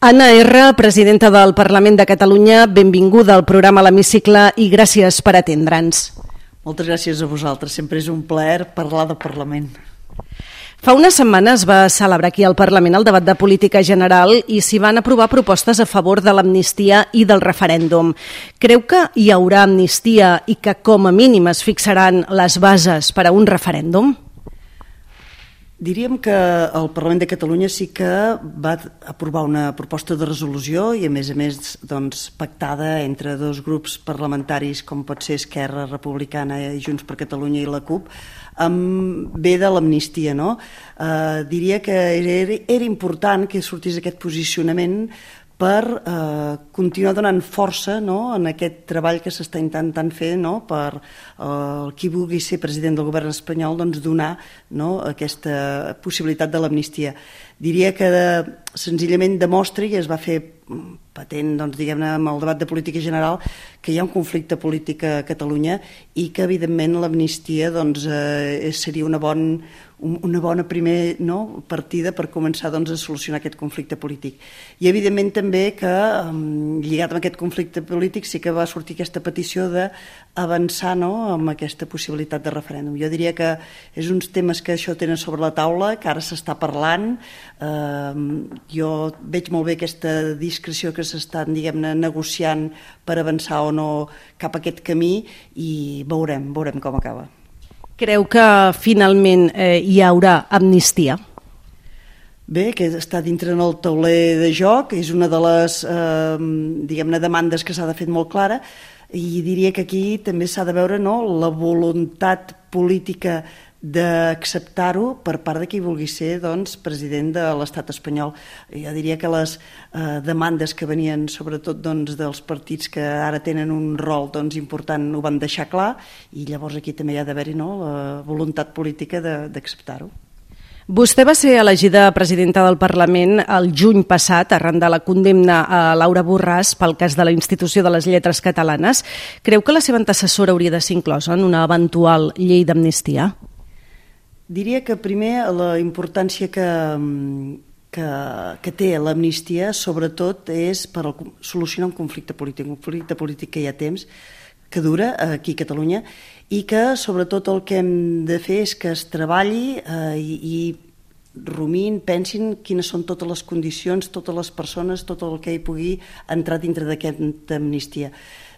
Anna R., presidenta del Parlament de Catalunya, benvinguda al programa L'Hemicicle i gràcies per atendre'ns. Moltes gràcies a vosaltres, sempre és un plaer parlar de Parlament. Fa unes setmanes va celebrar aquí al Parlament el debat de política general i s'hi van aprovar propostes a favor de l'amnistia i del referèndum. Creu que hi haurà amnistia i que com a mínim es fixaran les bases per a un referèndum? Diríem que el Parlament de Catalunya sí que va aprovar una proposta de resolució i a més doncs, pactada entre dos grups parlamentaris com pot ser Esquerra Republicana i Junts per Catalunya i la CUP, ve de l'amnistia, no? Diria que era important que sortís aquest posicionament per continuar donant força, no?, en aquest treball que s'està intentant fer, no?, per qui vulgui ser president del govern espanyol, doncs donar, no?, aquesta possibilitat de l'amnistia. Diria que senzillament demostra, i es va fer patent, doncs, diguem-ne, amb el debat de política general, que hi ha un conflicte polític a Catalunya i que, evidentment, l'amnistia doncs, seria una bona primera, no?, partida per començar doncs, a solucionar aquest conflicte polític. I, evidentment, també que, lligat amb aquest conflicte polític, sí que va sortir aquesta petició d'avançar, no?, amb aquesta possibilitat de referèndum. Jo diria que és uns temes que això tenen sobre la taula, que ara s'està parlant. Jo veig molt bé aquesta discreció que s'estan, diguem-ne, negociant per avançar o no cap a aquest camí i veurem com acaba. Creu que finalment hi haurà amnistia? Bé, que està dintre en el tauler de joc, és una de les diguem-ne demandes que s'ha de fer molt clara i diria que aquí també s'ha de veure, no?, la voluntat política d'acceptar-ho per part de qui vulgui ser doncs, president de l'estat espanyol. Jo diria que les demandes que venien sobretot doncs, dels partits que ara tenen un rol doncs, important ho van deixar clar i llavors aquí també hi ha d'haver-hi, no?, la voluntat política d'acceptar-ho. Vostè va ser elegida presidenta del Parlament el juny passat arran de la condemna a Laura Borràs pel cas de la Institució de les Lletres Catalanes. Creu que la seva antecessora hauria de ser inclosa en una eventual llei d'amnistia? Diria que primer la importància que té l'amnistia sobretot és per solucionar un conflicte polític que hi ha temps, que dura aquí a Catalunya i que sobretot el que hem de fer és que es treballi i rumin, pensin quines són totes les condicions, totes les persones, tot el que hi pugui entrar dintre d'aquesta amnistia.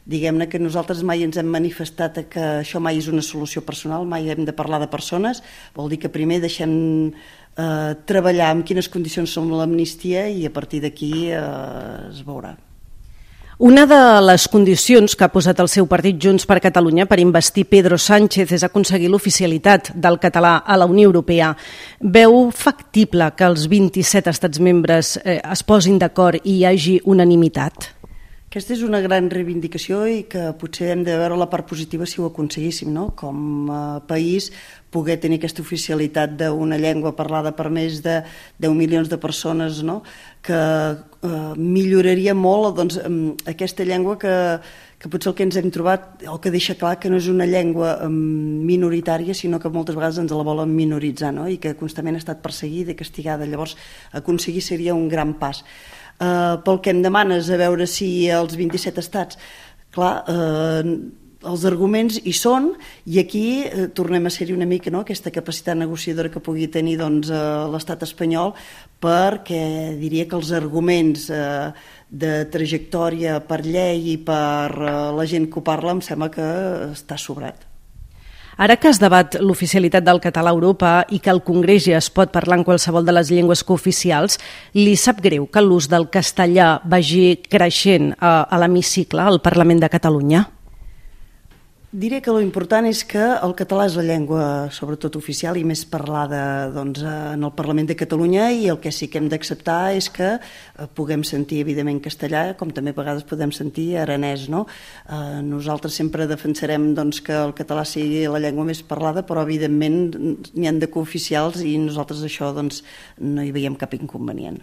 Diguem-ne que nosaltres mai ens hem manifestat que això mai és una solució personal, mai hem de parlar de persones, vol dir que primer deixem treballar en quines condicions són l'amnistia i a partir d'aquí es veurà. Una de les condicions que ha posat el seu partit Junts per Catalunya per investir Pedro Sánchez és aconseguir l'oficialitat del català a la Unió Europea. Veu factible que els 27 estats membres es posin d'acord i hi hagi unanimitat? Aquesta és una gran reivindicació i que potser hem de veure la part positiva si ho aconseguíssim, no? Com a país poder tenir aquesta oficialitat d'una llengua parlada per més de 10 milions de persones, no? Que milloraria molt doncs, aquesta llengua que potser el que ens hem trobat o que deixa clar que no és una llengua minoritària sinó que moltes vegades ens la volen minoritzar, no? I que constantment ha estat perseguida i castigada. Llavors aconseguir seria un gran pas. Pel que em demanes a veure si els 27 estats, clar, els arguments hi són i aquí tornem a ser-hi una mica, no?, aquesta capacitat negociadora que pugui tenir doncs, l'estat espanyol, perquè diria que els arguments de trajectòria per llei i per la gent que ho parla em sembla que està sobrat. Ara que es debat l'oficialitat del català a Europa i que al Congrés ja es pot parlar en qualsevol de les llengües cooficials, li sap greu que l'ús del castellà vagi creixent a l'hemicicle, al Parlament de Catalunya? Diré que l'important és que el català és la llengua sobretot oficial i més parlada doncs, en el Parlament de Catalunya i el que sí que hem d'acceptar és que puguem sentir evidentment castellà com també a vegades podem sentir aranès, no? Nosaltres sempre defensarem doncs, que el català sigui la llengua més parlada però evidentment n'hi han de cooficials i nosaltres això doncs, no hi veiem cap inconvenient.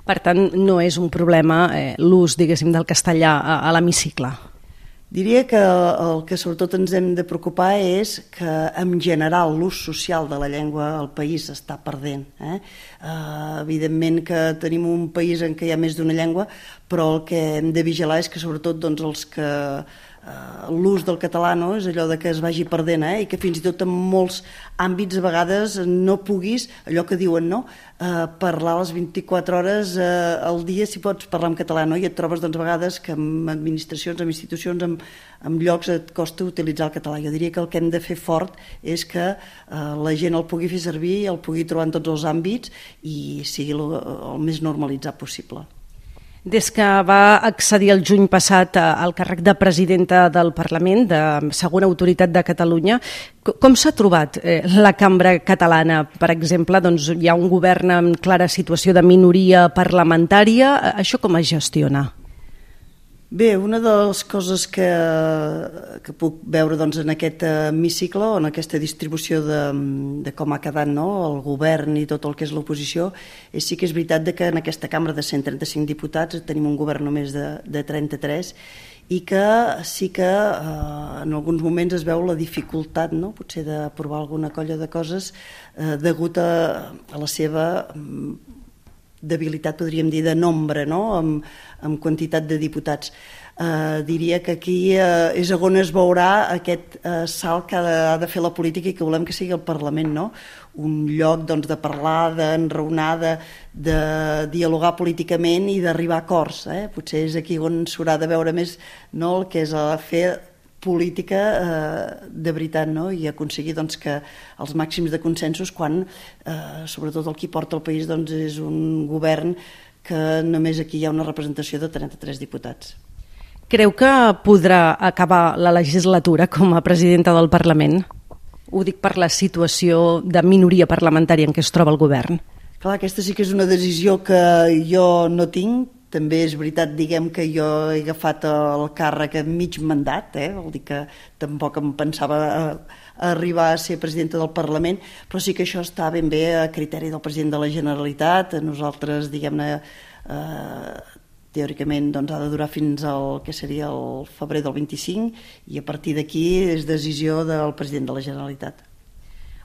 Per tant, no és un problema l'ús, diguéssim, del castellà a l'hemicicle? Diria que el que sobretot ens hem de preocupar és que en general l'ús social de la llengua al país està perdent. Evidentment que tenim un país en què hi ha més d'una llengua, però el que hem de vigilar és que sobretot els que l'ús del català és allò de que es vagi perdent i que fins i tot en molts àmbits a vegades no puguis, allò que diuen, parlar les 24 hores al dia si pots parlar en català, i et trobes a vegades que en administracions, en institucions, en llocs et costa utilitzar el català. Jo diria que el que hem de fer fort és que la gent el pugui fer servir, el pugui trobar en tots els àmbits i sigui el més normalitzat possible. Des que va accedir el juny passat al càrrec de presidenta del Parlament, de segona autoritat de Catalunya, com s'ha trobat la cambra catalana? Per exemple, hi ha un govern en clara situació de minoria parlamentària. Això com es gestiona? Bé, una de les coses que puc veure en aquest hemicicle o en aquesta distribució de com ha quedat el govern i tot el que és l'oposició sí que és veritat que en aquesta cambra de 135 diputats tenim un govern només de 33 i que sí que en alguns moments es veu la dificultat potser d'aprovar alguna colla de coses degut a la seva debilitat, podríem dir, de nombre, amb quantitat de diputats. Diria que aquí és on es veurà aquest salt que ha de fer la política i que volem que sigui el Parlament, un lloc de parlar, d'enraonar, de dialogar políticament i d'arribar a acords. Potser és aquí on s'haurà de veure més el que és fer política de veritat i aconseguir que els màxims de consensos quan sobretot el qui porta el país és un govern que només aquí hi ha una representació de 33 diputats. Creu que podrà acabar la legislatura com a presidenta del Parlament? Ho dic per la situació de minoria parlamentària en què es troba el govern. Clar, aquesta sí que és una decisió que jo no tinc. També és veritat, que jo he agafat el càrrec a mig mandat, vol dir que tampoc em pensava arribar a ser presidenta del Parlament, però sí que això està ben bé a criteri del president de la Generalitat. Nosaltres, teòricament ha de durar fins al que seria el febrer del 25 i a partir d'aquí és decisió del president de la Generalitat.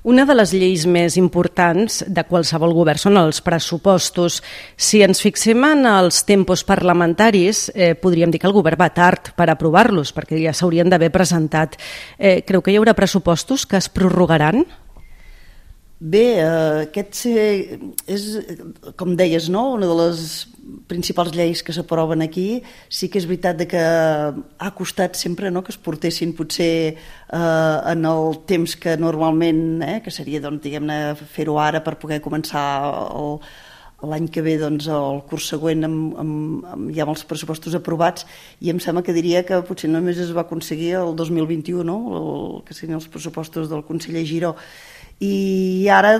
Una de les lleis més importants de qualsevol govern són els pressupostos. Si ens fixem en els tempos parlamentaris, podríem dir que el govern va tard per aprovar-los, perquè ja s'haurien d'haver presentat. Creu que hi haurà pressupostos que es prorrogaran? Bé, aquest és, com deies, una de les principals lleis que s'aproven aquí. Sí que és veritat que ha costat sempre que es portessin potser en el temps que normalment, que seria fer-ho ara per poder començar l'any que ve, el curs següent ja amb els pressupostos aprovats, i em sembla que diria que potser només es va aconseguir el 2021, que serien els pressupostos del conseller Giró. I ara,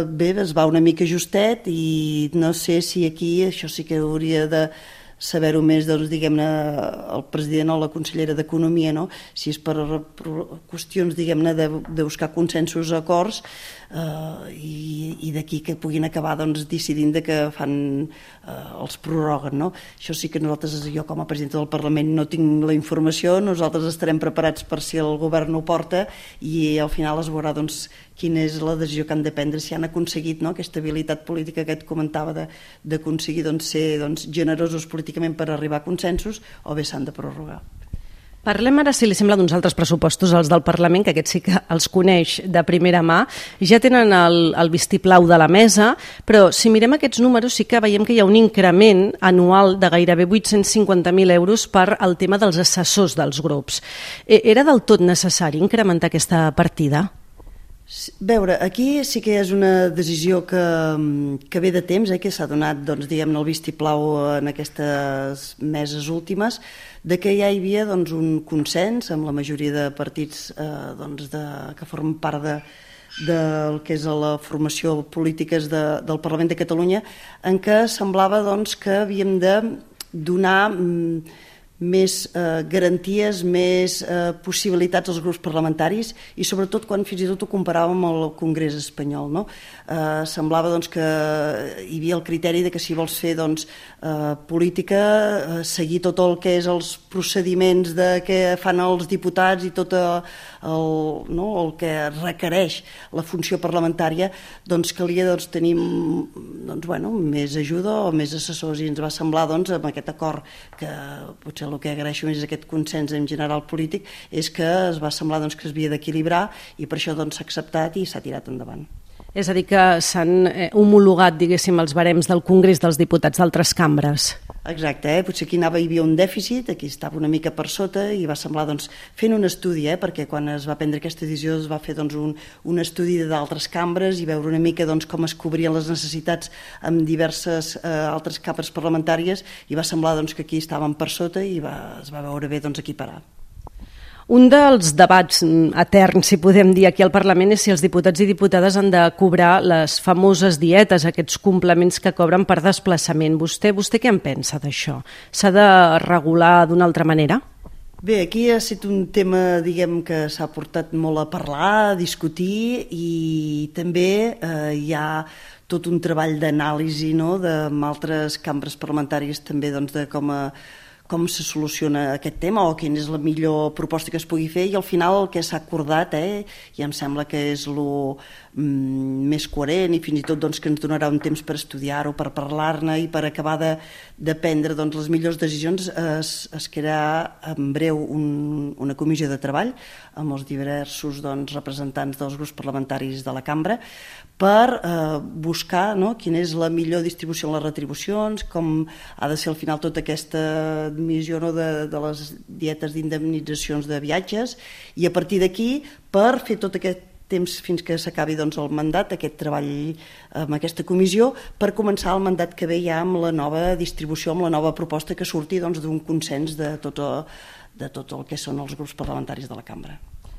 bé, es va una mica justet i no sé si aquí, això sí que hauria de saber-ho més, el president o la consellera d'Economia, si és per qüestions, de buscar consensos, acords, i d'aquí que puguin acabar decidint que fan, els prorroguen. Això sí que nosaltres, jo com a presidenta del Parlament no tinc la informació, nosaltres estarem preparats per si el govern ho porta i al final es veurà quina és la decisió que han de prendre, si han aconseguit aquesta habilitat política que et comentava d'aconseguir ser generosos políticament per arribar a consensos o bé s'han de prorrogar. Parlem ara, si li sembla, d'uns altres pressupostos, els del Parlament, que aquests sí que els coneix de primera mà. Ja tenen el vistiplau de la mesa, però si mirem aquests números sí que veiem que hi ha un increment anual de gairebé 850.000 euros per al tema dels assessors dels grups. Era del tot necessari incrementar aquesta partida? Veure, aquí sí que és una decisió que ve de temps, que s'ha donat el vistiplau en aquestes meses últimes, de que ja hi havia un consens amb la majoria de partits que formen part del que és la formació polítiques del Parlament de Catalunya, en què semblava que havíem de donar garanties, més possibilitats als grups parlamentaris i sobretot quan fins i tot ho comparàvem amb el Congrés espanyol. No? Semblava doncs, que hi havia el criteri de que si vols fer política, seguir tot el que és els procediments que fan els diputats i tot el que requereix la funció parlamentària, doncs calia tenir més ajuda o més assessors, i ens va semblar amb aquest acord, que potser el que agraeixo més és aquest consens en general polític, és que es va semblar que es havia d'equilibrar i per això s'ha acceptat i s'ha tirat endavant. És a dir, que s'han homologat, diguéssim, els barems del Congrés dels Diputats d'altres cambres. Exacte, potser aquí hi havia un dèficit, aquí estava una mica per sota i va semblar fent un estudi, perquè quan es va prendre aquesta decisió es va fer un estudi d'altres cambres i veure una mica com es cobrien les necessitats amb diverses altres cambres parlamentàries, i va semblar que aquí estàvem per sota i es va veure bé equiparar. Un dels debats eterns, si podem dir, aquí al Parlament és si els diputats i diputades han de cobrar les famoses dietes, aquests complements que cobren per desplaçament. Vostè què en pensa d'això? S'ha de regular d'una altra manera? Bé, aquí ha estat un tema, que s'ha portat molt a parlar, a discutir, i també hi ha tot un treball d'anàlisi amb altres cambres parlamentàries també de com se soluciona aquest tema o quina és la millor proposta que es pugui fer, i al final el que s'ha acordat, i em sembla que és el més coherent i fins i tot que ens donarà un temps per estudiar-ho, per parlar-ne i per acabar de prendre les millors decisions, es crearà en breu una comissió de treball amb els diversos representants dels grups parlamentaris de la cambra per buscar quina és la millor distribució en les retribucions, com ha de ser al final tota aquesta missió de les dietes d'indemnitzacions de viatges, i a partir d'aquí per fer tot aquest temps fins que s'acabi el mandat, aquest treball amb aquesta comissió, per començar el mandat que ve ja amb la nova distribució, amb la nova proposta que surti d'un consens de tot el que són els grups parlamentaris de la cambra.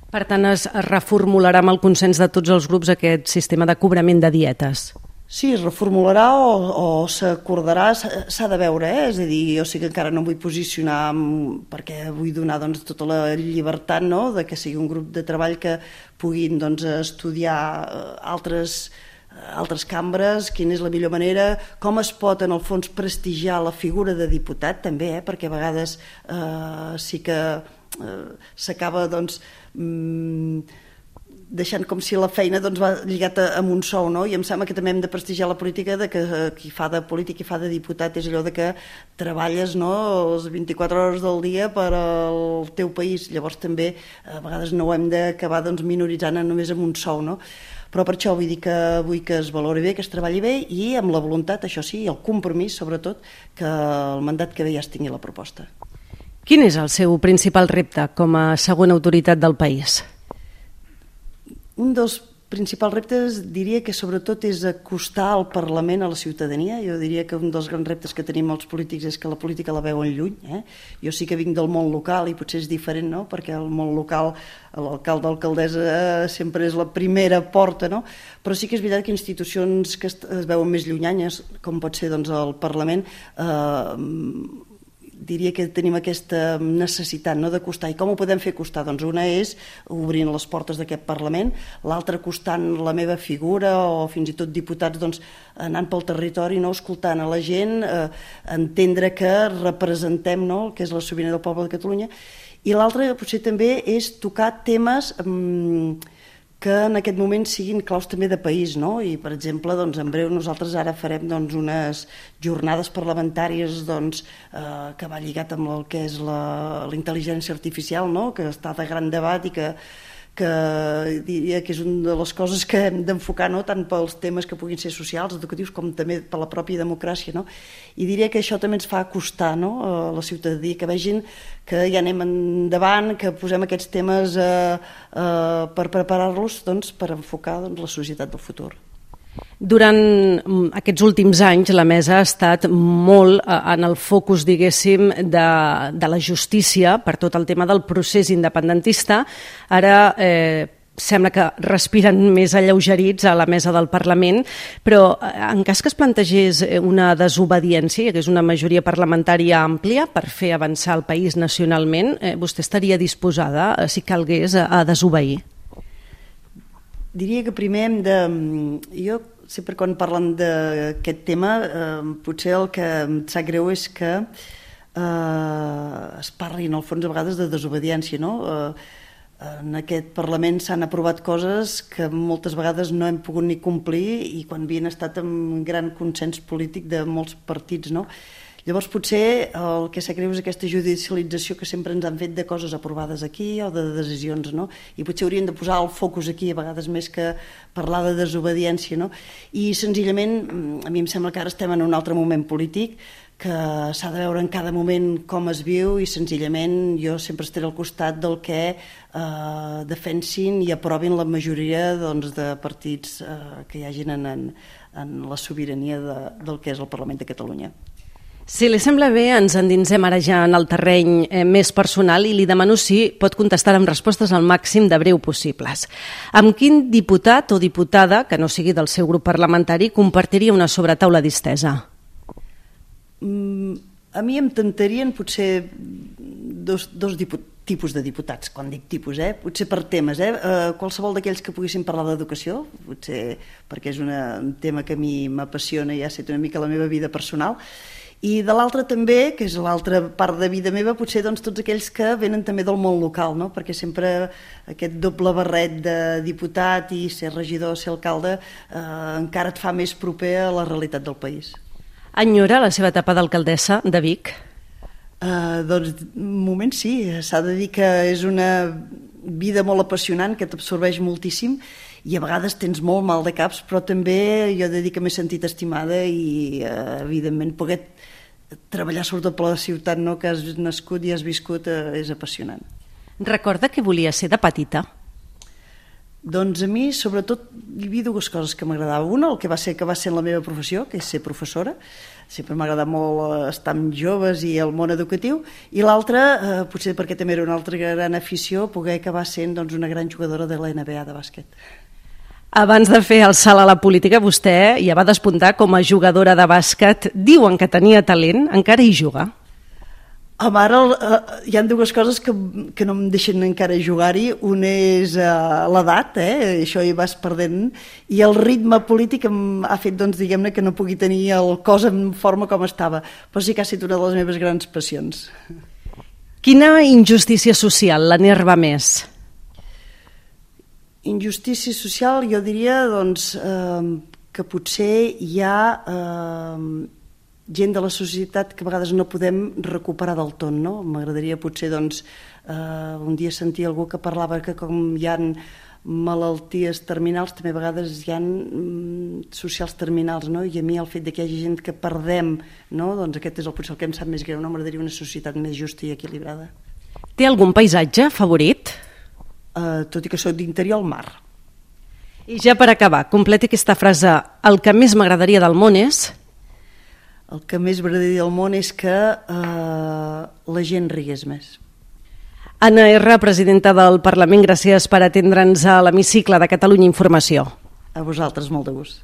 Per tant, es reformularà amb el consens de tots els grups aquest sistema de cobrament de dietes? Sí, es reformularà o s'acordarà, s'ha de veure, és a dir, jo sí que encara no em vull posicionar perquè vull donar tota la llibertat de que sigui un grup de treball que puguin estudiar altres cambres, quina és la millor manera, com es pot en el fons prestigiar la figura de diputat també, perquè a vegades sí que s'acaba deixant com si la feina va lligat amb un sou, i em sembla que també hem de prestigiar la política, que qui fa de polític i fa de diputat és allò que treballes les 24 hores del dia per al teu país, llavors també a vegades no ho hem d'acabar minoritzant només amb un sou, però per això vull dir que vull que es valori bé, que es treballi bé i amb la voluntat, això sí, el compromís sobretot, que el mandat que ve ja es tingui la proposta. Quin és el seu principal repte com a segona autoritat del país? Un dels principals reptes diria que sobretot és acostar el Parlament a la ciutadania. Jo diria que un dels grans reptes que tenim els polítics és que la política la veuen lluny. Jo sí que vinc del món local i potser és diferent, perquè el món local, l'alcalde o l'alcaldessa sempre és la primera porta, però sí que és veritat que institucions que es veuen més llunyanyes, com pot ser el Parlament, diria que tenim aquesta necessitat d'acostar. I com ho podem fer acostar? Una és obrint les portes d'aquest Parlament, l'altra acostant la meva figura o fins i tot diputats anant pel territori, escoltant a la gent, entendre que representem el que és la sobirania del poble de Catalunya, i l'altra potser també és tocar temes que en aquest moment siguin claus també de país, i per exemple en breu nosaltres ara farem unes jornades parlamentàries que va lligat amb el que és la intel·ligència artificial, que està de gran debat i que diria que és una de les coses que hem d'enfocar, tant pels temes que puguin ser socials, educatius, com també per la pròpia democràcia, i diria que això també ens fa acostar a la ciutadania, que vegin que ja anem endavant, que posem aquests temes per preparar-los per enfocar la societat del futur. Durant aquests últims anys la mesa ha estat molt en el focus, diguéssim, de la justícia per tot el tema del procés independentista. Ara sembla que respiren més alleugerits a la mesa del Parlament, però en cas que es plantegés una desobediència, hi hagués una majoria parlamentària àmplia per fer avançar el país nacionalment, vostè estaria disposada, si calgués, a desobeir? Diria que primer hem de... Jo sempre quan parlen d'aquest tema, potser el que em sap greu és que es parli en el fons a vegades de desobediència, no? En aquest Parlament s'han aprovat coses que moltes vegades no hem pogut ni complir i quan havien estat amb gran consens polític de molts partits, no? Llavors potser el que sap greu és aquesta judicialització que sempre ens han fet de coses aprovades aquí o de decisions, no? I potser haurien de posar el focus aquí a vegades més que parlar de desobediència, no? I senzillament a mi em sembla que ara estem en un altre moment polític que s'ha de veure en cada moment com es viu i senzillament jo sempre estaré al costat del que defensin i aprovin la majoria doncs, de partits que hi hagin en la sobirania del que és el Parlament de Catalunya. Si li sembla bé, ens endinsem ara ja en el terreny més personal i li demano si pot contestar amb respostes al màxim de breu possibles. Amb quin diputat o diputada, que no sigui del seu grup parlamentari, compartiria una sobretaula distesa? A mi em tentarien potser dos tipus de diputats, quan dic tipus, potser per temes, qualsevol d'aquells que poguessin parlar d'educació, potser perquè és un tema que a mi m'apassiona i ha estat una mica la meva vida personal, i de l'altra també, que és l'altra part de vida meva, potser doncs, tots aquells que venen també del món local, no? Perquè sempre aquest doble barret de diputat i ser regidor, ser alcalde, encara et fa més proper a la realitat del país. Enyora la seva etapa d'alcaldessa de Vic? Doncs, un moment sí, s'ha de dir que és una vida molt apassionant, que t'absorbeix moltíssim i a vegades tens molt mal de caps, però també jo he de dir que m'he sentit estimada i, evidentment, poder treballar sobretot per la ciutat, no, que has nascut i has viscut, és apassionant. Recorda què volia ser de petita? Doncs a mi, sobretot, hi havia dues coses que m'agradava. Una, el que va ser la meva professió, que és ser professora. Sempre m'ha agradat molt estar amb joves i el món educatiu. I l'altra, potser perquè també era una altra gran afició, poder acabar sent una gran jugadora de la NBA de bàsquet. Abans de fer el salt a la política, vostè ja va despuntar com a jugadora de bàsquet. Diuen que tenia talent, encara hi juga? Ara hi ha dues coses que no em deixen encara jugar-hi. Una és l'edat, això hi vas perdent, i el ritme polític em ha fet, diguem-ne, que no pugui tenir el cos en forma com estava. Però sí que ha estat una de les meves grans passions. Quina injustícia social l'enerva més? Injustícia social, jo diria que potser hi ha gent de la societat que a vegades no podem recuperar del tot, no? M'agradaria potser un dia sentir algú que parlava que com hi ha malalties terminals, també a vegades hi ha socials terminals, no? I a mi el fet que hi hagi gent que perdem, no? Doncs aquest és potser el que em sap més greu, no? M'agradaria una societat més justa i equilibrada. Té algun paisatge favorit? Tot i que soc d'interior, al mar. I ja per acabar, completi aquesta frase. El que més m'agradaria del món és... El que més m'agradaria del món és que la gent rigués més. Anna R., presidenta del Parlament, gràcies per atendre'ns a l'hemicicle de Catalunya Informació. A vosaltres, molt de gust.